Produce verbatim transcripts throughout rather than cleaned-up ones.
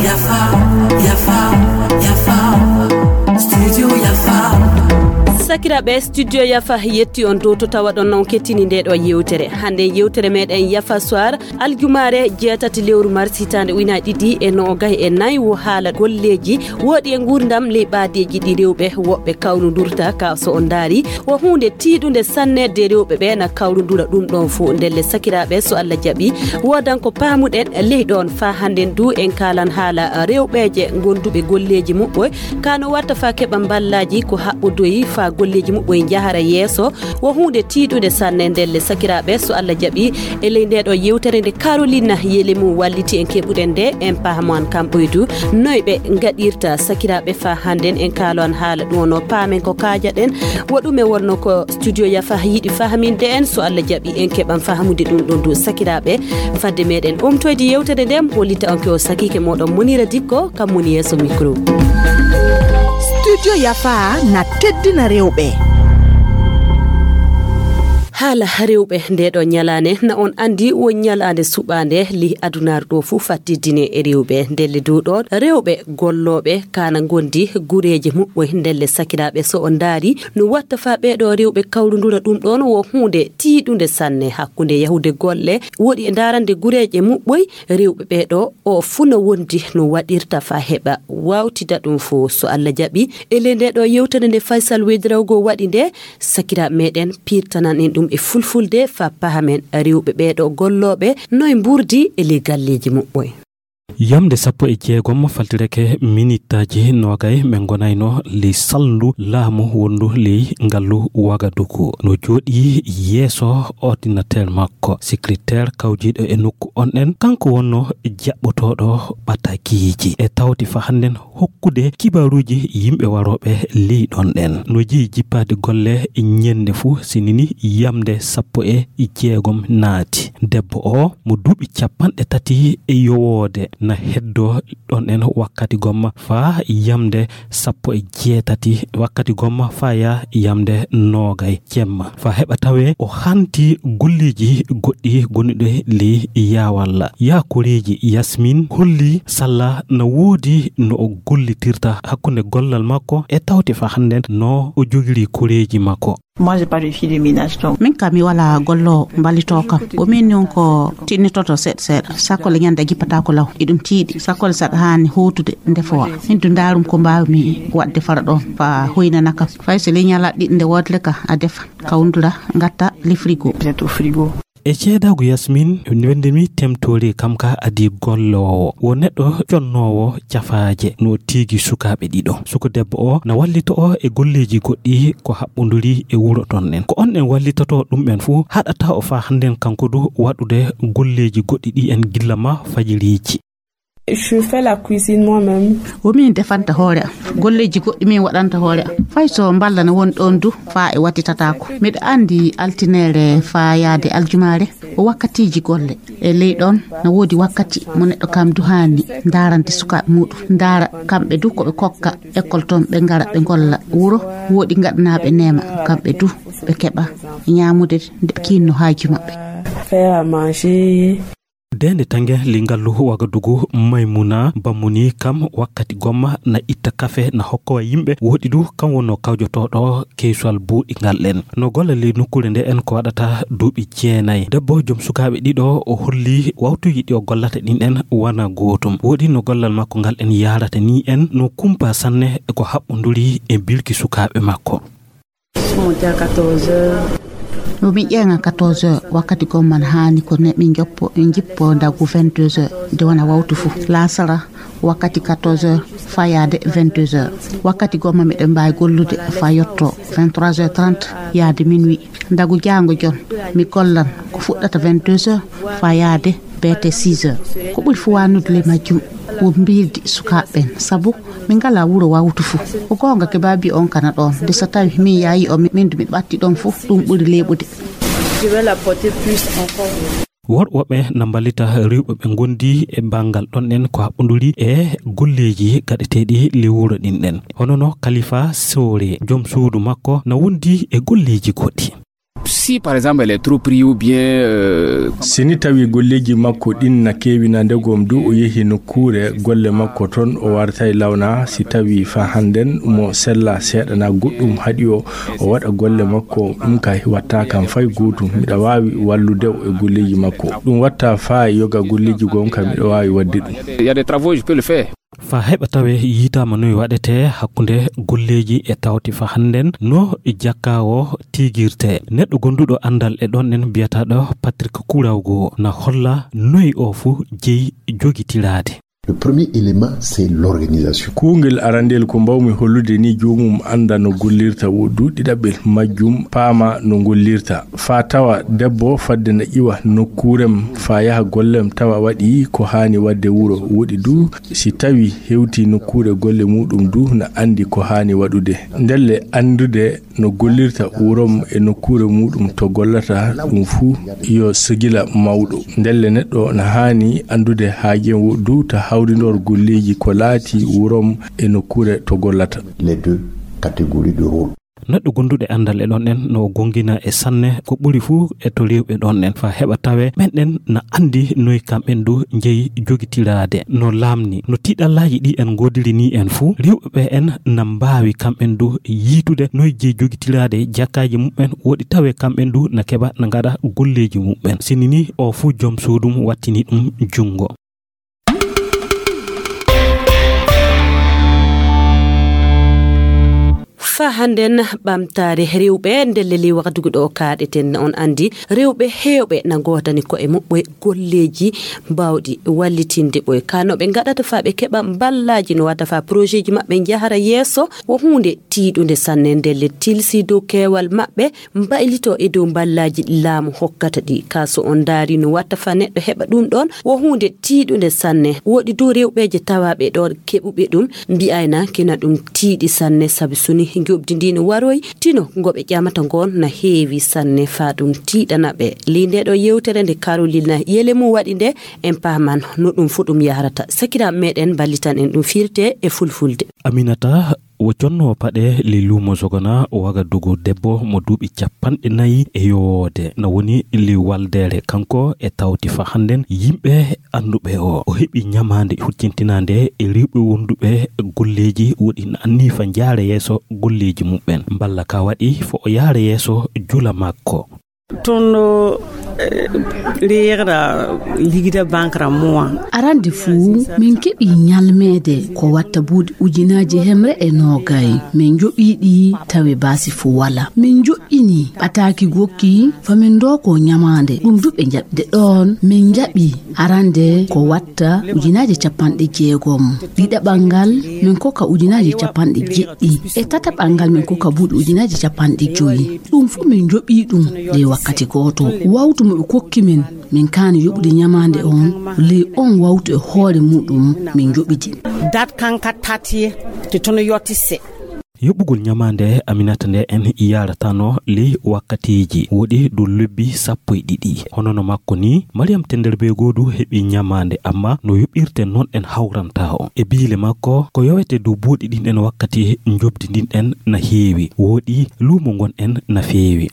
Yafa, yafa, yafa. Studio Yafa. Sakiraaɓe, Studio Yafa yetti on dow to tawaɗon on kettini nde ɗo yewtere. Hannde yewtere meɗen Yafa Soir, aljumaare jeetati lewru mars hitaande ujunaaji ɗiɗi e noogay e nayi, wo haala golleeji woɗi e nguurndam ley ɓaadeeji ɗi rewɓe woɓɓe kawrundurta ka. So on ndaari, wo huunde tiiɗunde sanne de rewɓe ɓe na kawrundura ɗum ɗon fof. Ndelle sakiraaɓe, so Allah jaɓi, woodan ko paamuɗen ley ɗon. Faa hannden du en kaalan haala rewɓeeje gonduɓe golleeji muɓɓoy, ka no watta faa keɓa mballaaji ko haɓɓodoyi faa golleeji muɓɓoy njahara yeeso. Wo huunde tiiɗunde sanne. Ndelle sakiraaɓe, so Allah jaɓi, e ley nde ɗo yewtere nde Carolina Yelemu walliti en keɓuɗen nde, en pahamu an kam ɓoydu noy ɓe ngaɗirta. Sakiraaɓe, faa hannden en kaalo an haala ɗum, ono paamen ko kaajaɗen. Wo ɗume wonno ko Studio Yafa yiɗi fahaminde en? So Allah jaɓi, en keɓan fahamude ɗum ɗon du. Sakiraaɓe, fadde meɗen umtoyde yewtere nden, hollita on ke o sakiike moɗon Munira Dikko, kam woni yeeso micro. Studio Yafa na teddina rewɓe. Haala rewɓe nde ɗo ñalaande, na on anndi wo ñalaande suɓaande ley adunaaru ɗo fof fattiddine e rewɓe. Ndelle du ɗon, rewɓe gollooɓe ka na ngondi gureeje muɓɓoy. Ndelle sakiraaɓe, so on ndaari no watta faa ɓee ɗo rewɓe kawrundura ɗum ɗon, wo huunde tiiɗunde sanne hakkunde yahude golle woɗi e ndaarande gureeje muɓɓoy. Rewɓe ɓee ɗo o fuu no wondi no waɗirta faa heɓa waawtida ɗum fof. So Allah jaɓi, e ley nde ɗo yewtere nde Faysal Wedrawgo waɗi nde, sakiraaɓe meɗen piirtanan en ɗum e fulfulde faa pahamen rewɓe ɓee ɗo gollooɓe noy mburdi e ley galleeji muɓɓoy. Yamde sappo e jeegom faltirake minittaaji noogay, min ngonayno ley salndu laamu wonndu ley ngallu Wagadugu. No jooɗii yeeso ordinateur makko. Secrétaire kawjiiɗo e nokku on ɗen, kanko wonno jaɓɓotooɗo ɓatakiiji. E tawti faa hannden hokkude kibaaruuji yimɓe warooɓe ley ɗon ɗen. No jeyi jippaade golle ñennde fuu, sinini yamde sappo e jeegom naati. Debbo o mo duuɓi capanɗe tati e yowoode na heddoo ɗon ɗen wakkati gomma faa yamde sappo e jeetati wakkati gomma faa yaa yamde noogay jemma. Faa heɓa tawee o hanti golleeji goɗɗi gonuɗi ley yaawalla. Yaa koreeji Yasmin holli salla na woodi no o gollitirta hakkunde gollal makko e tawte faa hannden no o jogiri koreeji makko. Moi, j'ai pas de fille de ménage, donc. Min kam mi wala gollo mballito kam. Ko min non ko tinnitoto seeɗa seeɗa. Sakkole ñande a jippata ko law. Iɗum tiiɗi. Sakkole saɗa haani huutude ndefowa. Min du ndaarum ko mbaawmi waɗde fara ɗon. Fa hoynana kam. Fay so le ñala ɗiɗi nde woodle ka a defa. Kawndura ngatta le frigo. Peut-être au frigo. E ceedaagu Yasmin, wende mi temtori kam ka adi golloowo. Wo neɗɗo connoowo cafaaje no tiigi sukaaɓe ɗiɗo. Suko debbo o na wallito o e golleeji goɗɗi ko haɓɓonduri e wuro ton ɗen. Ko on ɗen wallitoto ɗum ɓen fuu haɗata o faa hannden kanko du waɗude golleeji goɗɗi ɗi en gilla ma fajiriiji. Je fais la cuisine moi-même. Wo min defanta hoore am. Golleeji goɗɗi min waɗanta hoore am. Fay so mballa ne woni ɗon du faa e wattitataako. Miɗo anndi altineere faa yaade aljumaare ko wakkatiiji golle. E ley ɗon no woodi wakkati mo neɗɗo kam du haani ndaarande sukaaɓe muɗum. Ndaara kamɓe du ko ɓe kokka école ton ɓe ngara ɓe ngolla wuro. Woodi ngaɗanaaɓe neema kamɓe du ɓe keɓa ñaamude nde kinno haaju maɓɓe. Faire à manger. Dende tange lingallu Wagadugu Maymuna Bamuni kam wakkati gomma na itta kafe na hokkowa yimɓe woɗi du kam wonno kawjotooɗo keyswal buuɗi ngal ɗen. No golla ley nokkuure nde en ko waɗata duuɓi jeenayi. Debbo joom sukaaɓe ɗiɗo o holli wawtuji ɗi o gollata ɗin ɗen wana gootum. Woɗi no gollal makko ngal ɗen yaarata ni en no kumpa sanne e ko haɓɓonduri e bilki sukaaɓe makko. Monter à quatorze heures. Yo min ƴeeŋa quatorze heures, wakkati gomman haani ko ne min joppo, min jippo ndagu vingt-deux heures, de wona wawtu fu. Laasara wakkati quatorze heures, faa yaade vingt-deux heures. Wakkati gomma miɗen mbaawi gollude faa yotto vingt-trois heures trente, yaade minuit. Ndagu jaango jon, mi gollan ko fuɗɗata vingt-deux heures, faa yaade beete six heures. Ko ɓuri fu wanude le majjum, wo mbirdi sukaaɓe ɓen, sabu min ngalaa wuro wawtu fu. Ko goonga ke baabi on kana ɗon, de so tawi min yaayi o, min du mi ɓatti ɗon fu, ɗum ɓuri leeɓude. Je vais la porter plus encore. Worɓe woɓɓe na mballita rewɓe ɓe ngondi e banngal ɗon en ko haɓɓonduri e golleeji gaɗeteeɗi le wuro ɗin ɗen. Hono no Kalifa Sowore, joom suudu makko, na wondi e golleeji goɗɗi. Si par exemple elle est trop pris ou bien euh, si ni tawi golleeji makko ɗin na keewina ndegom du o yehi nokkuure golle makko ton o wartay lawna si tawi fa hannden mo sella seeɗana goɗɗum haɗi o o waɗa golle makko ɗum kay watta kam fay gootum miɗa waawi wallude o e golleeji makko ɗum watta fa yoga golleeji gon kam miɗa waawi waɗde ɗum. Il y a des travaux, je peux le faire. Fa heɓa tawe yiitaama noy waɗetee hakkunde golleeji e tawti fa hannden no jakka o tiigirtee. Neɗɗo gonduɗo anndal e ɗon en biyataɗo Patrick Kurawgo na holla noy o fu jeyi jogitiraade. Le premier élément, c'est l'organisation. Kuungel arandel ko mbawmi hollude ni joomum annda no gollirta woɗɗu ɗiɗaɓel majjum paama no gollirta faa tawa debbo fadde na iwa nokkuurem faa yaha gollem tawa waɗi ko haani waɗde wuro woɗi du si tawi hewti nokkuure golle muɗum du na anndi ko haani waɗude ndelle anndude no gollirta wurom e nokkuure muɗum to gollata ɗum fuu yo sigila mawɗo ndelle neɗɗo na haani anndude haajen woɗdu ta hawrindor golleeji ko laati wurom e nokkuure to gollata. Les deux catégories de rôle. Neɗɗo gonduɗe anndal e ɗon en no o gongina e sanne ko ɓuri fuu e to rewɓe ɗon en fa heɓa tawe ɓen ɗen na anndi noy kamɓen du jeyi jogitiraade no laamni no tiɗallaaji ɗi en ngoodiri ni en fuu rewɓe ɓe en na mbaawi kamɓen du yiitude noy jeyi jogitiraade jakkaaji muɓɓen woɗi tawe kamɓen du na keɓa na ngaɗa golleeji muɓɓen sini ni o fuu joom suudum wattini ɗum junngo. Fa hannden ɓamtaare rewɓe ndelle ley waktugu ɗo kaaɗeten on anndi rewɓe heewɓe na ngoodani ko'e muɓɓe golleeji baawɗi wallitinde ɓoy ka no ɓe ngaɗata faa ɓe keɓa mballaaji no watta faa porojeeji maɓɓe njahara yeeso wo huunde tiiɗunde sanne ndelle tilsi dow keewal maɓɓe mbaylito e dow mballaaji laamu hokkata ɗi ka so on ndaari no watta fa neɗɗo heɓa ɗum ɗon wo huunde tiiɗunde sanne woɗi dow rewɓeeje tawaaɓe ɗon keɓuɓe ɗum mbi'ayna kina ɗum tiiɗi sanne sabi suni njoɓdi ndi no waroyi tino ngo ɓe ƴamata ngon na heewi sanne faa ɗum tiiɗana ɓe ley nde ɗo yewtere nde karolina yele mum waɗi nde en paaman no ɗum fuu ɗum yahrata sakiraaɓe meɗen mballitan en ɗum firte e fulfulde. Aminata wo connoowo paɗe ley luumo Sogona o waga dogo debbo mo duuɓi capanɗe nayi e yowoode na woni ley waldeere kanko e tawti fa hannden yimɓe annduɓe o o heɓi ñamaande huccintinaande e rewɓe wonduɓe golleeji woɗi na anni fa njaare yeeso golleeji muɓɓen mballa ka waɗi fo o yaare yeeso jula makko. Toon ɗo reera ligida bankra mois. Arande fuu min keɓi ñalmeede ko watta buuɗi ujunaaji hemre e noogay min joɓiiɗi tawi baasi fuu wala min joƴƴini ɓataaki gokki famin ndooko ñamaande ɗum duɓe jaɓde ɗoon min jaɓi arande ko watta ujunaaji capanɗe jeegom ɗiɗaɓal ngal min kokka ujunaaji capanɗe jeɗɗi e tataɓal ngal min kokka buuɗi ujunaaji capanɗe joyi ɗum fof min joɓi ɗum ley wakkati gooto wawtu mo ɓe kokki min min kaani yoɓude ñamaande on ley on wawtu e hoore muɗum min joɓidi. Dat kanka tati te tono yotti se. Yoɓugol ñamaande aminata nde en yaratano ley wakkatiiji woɗi dow lebbi sappo e ɗiɗi hono no makko ni mariyam tenderbe goodu heɓi ñamaande amma no yoɓirte noon en hawranta o e biile makko ko yowete dow buuɗi ɗin en wakkati njobdi ndin en na heewi woɗi luumo ngon en na feewi.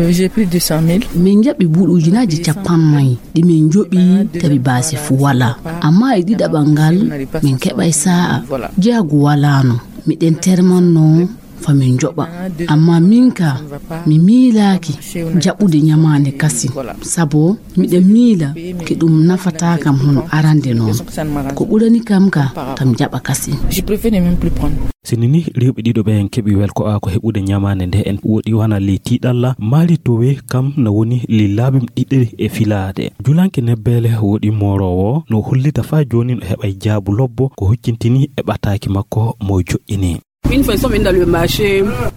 J'ai pris deux cent mille. Min jaɓi buuɗi ujunaaji capannay ɗi min joɓi tawi baasi fuu walaa amma e ɗiɗaɓal ngal min keɓay saa'a jeyagu walaano miɗen termanno fa min joɓa amma min ka mi miilaaki jaɓude ñamaande kasi sabo miɗa miila ke ɗum nafataa kam hono arande noon ko ɓurani kam ka kam jaɓa kasi. Sinini rewɓe ɗiɗo ɓe en keɓi welko a ko heɓude ñamaande nde en woɗi wana ley tiiɗalla maali towe kam na woni ley laaɓim ɗiɗiri e filaade julanke nebbeele woɗi mooroowo no hollita faa jooni no heɓay jaabu lobbo ko huccintini e ɓataaki makko mo joƴƴini.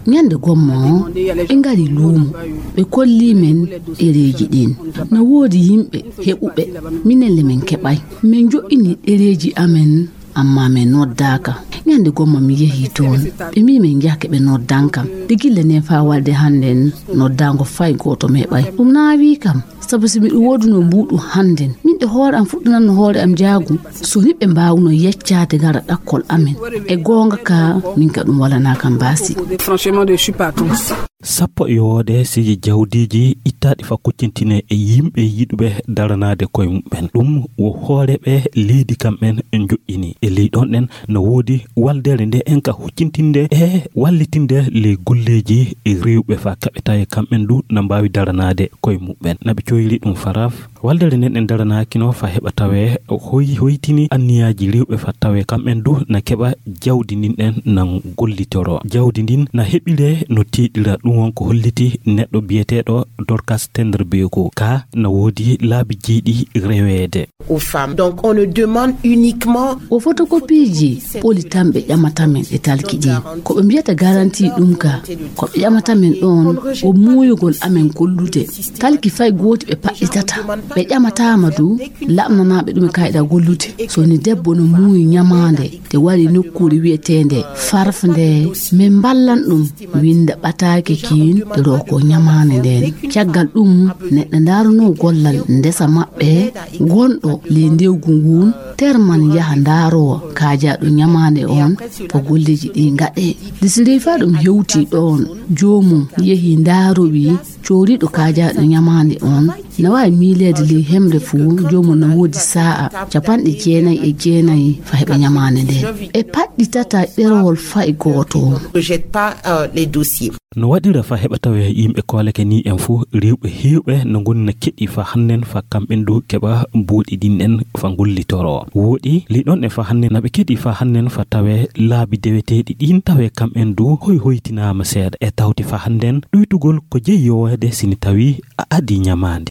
Ñande gomma o ɓe ngari luumo ɓe kolli men ɗereeji ɗin no woodi yimɓe heɓuɓe minen le min keɓay min joƴƴini ɗereeji amen amma min noddaaka ñande gomma mi yehi toon ɓe mbi min njahke ɓe noddankam de gilla nden faa walde hannden noddaango fay gooto mi heɓay ɗum naawi kam. Sabu si miɗo woodunoo mbuuɗu hannden, min e hoore am fuɗɗinanno hoore am njaagu, so ni ɓe mbaawno yeccaade ngara ɗakkol amen. E goonga ka, min ka ɗum walanaa kam baasi. Franchement, je suis pas contre. Sappo e yowoode siji jawdiiji ittaaɗi fa kuccintine e yimɓe yiɗuɓe daranaade koye muɓɓen. Ɗum wo hooreeɓe leydi kamɓen njoƴƴini. E ley ɗon ɗen no woodi waldere nde en ka huccintinde e wallitinde ley golleeji e rewɓe fa kaɓe tawe kamɓen du na mbaawi daranaade koye muɓɓen. Na ɓe coyli ɗum faraf. Waldere nden en daranaakino fa heɓa tawe hoy-, hoytini anniyaaji rewɓe fa tawe kamɓen du na keɓa jawdi ndin ɗen na gollitoro. Jawdi ndin na heɓire no teeɗira. Ɗum won ko holliti neɗɗo biyeteeɗo Dorcas Tenderbeeko. Ka na woodi laabi jeeɗi reweede. Aux femmes. Donc, on ne demande uniquement. O fotokopiiji poli tan ɓe ƴamata men e talki ɗi. Ko ɓe mbiyata garanti ɗum ka, ko ɓe ƴamata men ɗon, o muuyugol amen gollude. Talki fay gooti ɓe paɗɗitata. Ɓe ƴamataama du, laɓnanaaɓe ɗum e kayɗa gollude. So ni debbo no muuyi ñamaande, te wari nokkuure wi'eteende farf nde, min mballan ɗum. Winnda ɓataake kiin, ɗo ko ñamaande nden. Caggal ɗum, neɗɗo ndaarunoo gollal ndesa maɓɓe, gonɗo ley ndewgu ngun, terman yaha ndaaroo kaajaaɗo ñamaande on, ko golleeji ɗi ngaɗee. Nde si rewi faa ɗum hewtii ɗoon, joomum yehi ndaarowii cooriiɗo kaajaaɗo ñamaande on, na waawi miileede ley hemre fuu, joomum na woodi saa'a capanɗe jeenayi e jeenayi fa heɓa ñamaande nden. E paɗɗitata ɗerewol fay gooto. Ne rejette pas, euh, les dossiers. No waɗira fa heɓa tawe yimɓe kooleke ni en fuu, rewɓe heewɓe no ngoni na keɗi fa hannden fa kamɓen du keɓa buuɗi ɗin en fa gollitoro. Wooɗi li ɗon e fa hannden na ɓe keɗi fa hannden fa tawe laabi deweteeɗi ɗin tawe kamɓen du hoy hoytinaama seeɗa. E tawti fa hannden ɗuytugol ko jeyi yoweede sini tawi a adi ñamaande.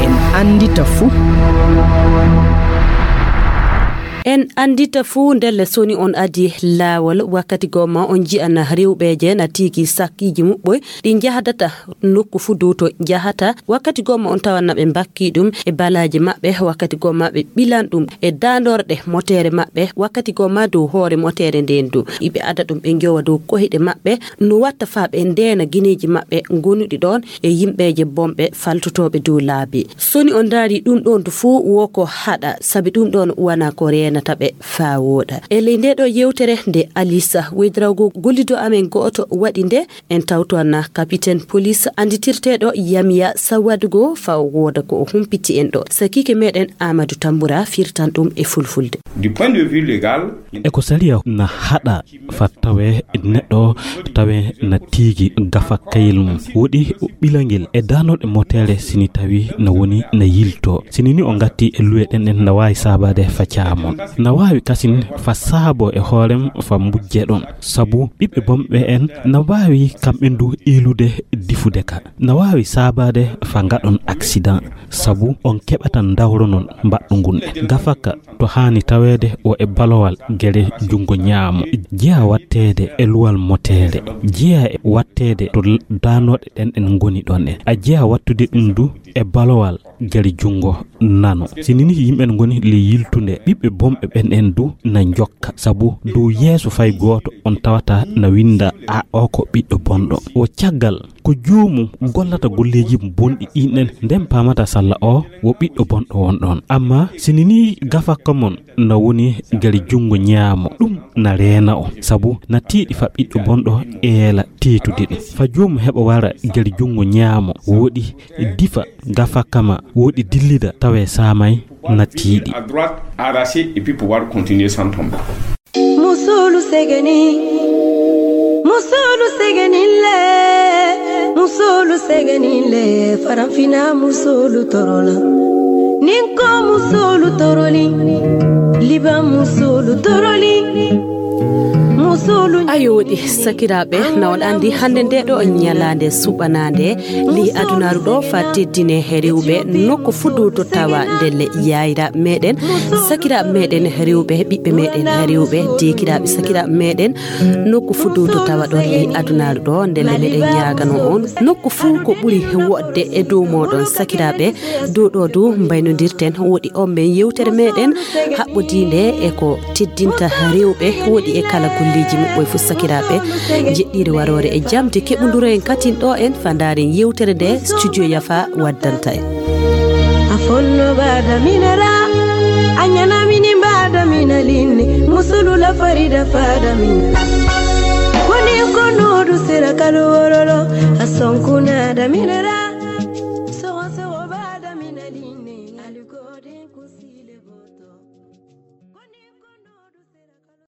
En anndita fuu. En anndita fuu ndelle soni on adi laawol wakkati gomma on ji'ana rewɓeeje na tigi sakkiiji muɓɓoy ɗi njahdata nokku fuu dow to njahata. Wakkati gomma on tawanna ɓe mbakki ɗum e balaaji maɓɓe, wakkati gomma ɓe ɓilan ɗum e daandorɗe moteere maɓɓe, wakkati gomma dow hoore moteere nden du. Iɓe ada ɗum ɓe njowa dow kohiɗe maɓɓe, no watta faa ɓe ndeena gineeji maɓɓe gonuɗi ɗon e yimɓeeje bomɓe faltotooɓe dow laabi. Soni on ndaari ɗum ɗon du fuu wo ko haɗa, sabi ɗum ɗon wana ko reenata ɓe faa wooɗa. E ley nde ɗo yewtere nde Alisa Wedrawgo gollido amen go'oto waɗi nde, en tawto anna kapiten polis annditirteeɗo Yamiya Sawadugo faa wooda ko o humpiti en ɗo. Sakiike meɗen Amadou Tambura firtan ɗum e fulfulde. Du point de vue légal, e ko sariya na haɗa fa tawe neɗɗo tawe na tigi gafa kayel mum. Woɗi ɓilangel e danoɗe motere sini tawi na woni na yilto. Sini ni o ngatti e luwe ɗen ɗen na waawi saabade fa caamon. Na waawi kasin fa saabo e hoorem fa mbujje ɗon. Sabu ɓiɓɓe bomɓe en na waawi kamɓe ndu ilude difude ka. Na waawi saabade fa ngaɗon accident. Sabu on keɓatan dawro non mbaɗɗo ngun e gafaka to haani taweede o e balowal gere junngo ñaamo. Jeya watteede e luwal moteere. Jeya e watteede to l-, daanoɗe ɗen ɗen ngoni ɗon en. A jeya wattude ɗum du e balowal gere junngo nano. Sini ni yimɓe ngoni le yiltunde, ɓiɓɓe bomɓe ɓen en du na njokka. Sabu dow yeeso fay gooto on tawata na winda a o ko ɓiɗɗo bonɗo. O caggal ko joomum gollata golleeji bonɗi ɗin ɗen, nden paamata salla o wo ɓiɗɗo bonɗo won ɗon. Amma sini ni gafakka mon na woni gari junngo ñaamo, ɗum na reena o. Sabu na tiiɗi fa ɓiɗɗo bonɗo eela teetude ɗum. Fa joomum heɓa wara gari junngo ñaamo, woɗi difa gafakka ma, woɗi dillida tawe saamay na tiiɗi. À droite, arraché, et puis pouvoir continuer sans tomber. Musulu segeni, musulu segeni le, musulu segeni le, faranfina musulu torola. Ninko musulu toroli, liba musulu toroli, musulu. Ayo woɗi sakiraaɓe, na on anndi hannde nde ɗo ñalaande suɓanaande, ley adunaaru ɗo fa teddine rewɓe nokku fuu dow to tawa ndelle yaayiraaɓe meɗen, sakiraaɓe meɗen rewɓe, ɓiɓɓe meɗen rewɓe, deekiraaɓe sakiraaɓe meɗen, nokku fuu dow to tawa ɗon ley adunaaru ɗo, ndelle meɗen ñaagano on, nokku fuu ko ɓuri woɗde e dow mooɗon sakiraaɓe, dow ɗo dow mbaynodirten, woɗi on men yewtere meɗen haɓɓodiinde e ko teddinta rewɓe, woɗi e kala golleeji Moƴƴo fof sakiraaɓe, jeɗɗiire waroore e jamde keɓunduro en katin ɗo en fandaren yewtere nde studio Yafa waddanta en. A fonno baada minara, a ñana mini baada mina linni, musulula farida faada minara. Koni kono du sira kalu wororo, a sonkunada minara. Soho soho baada mina linni, alikodi.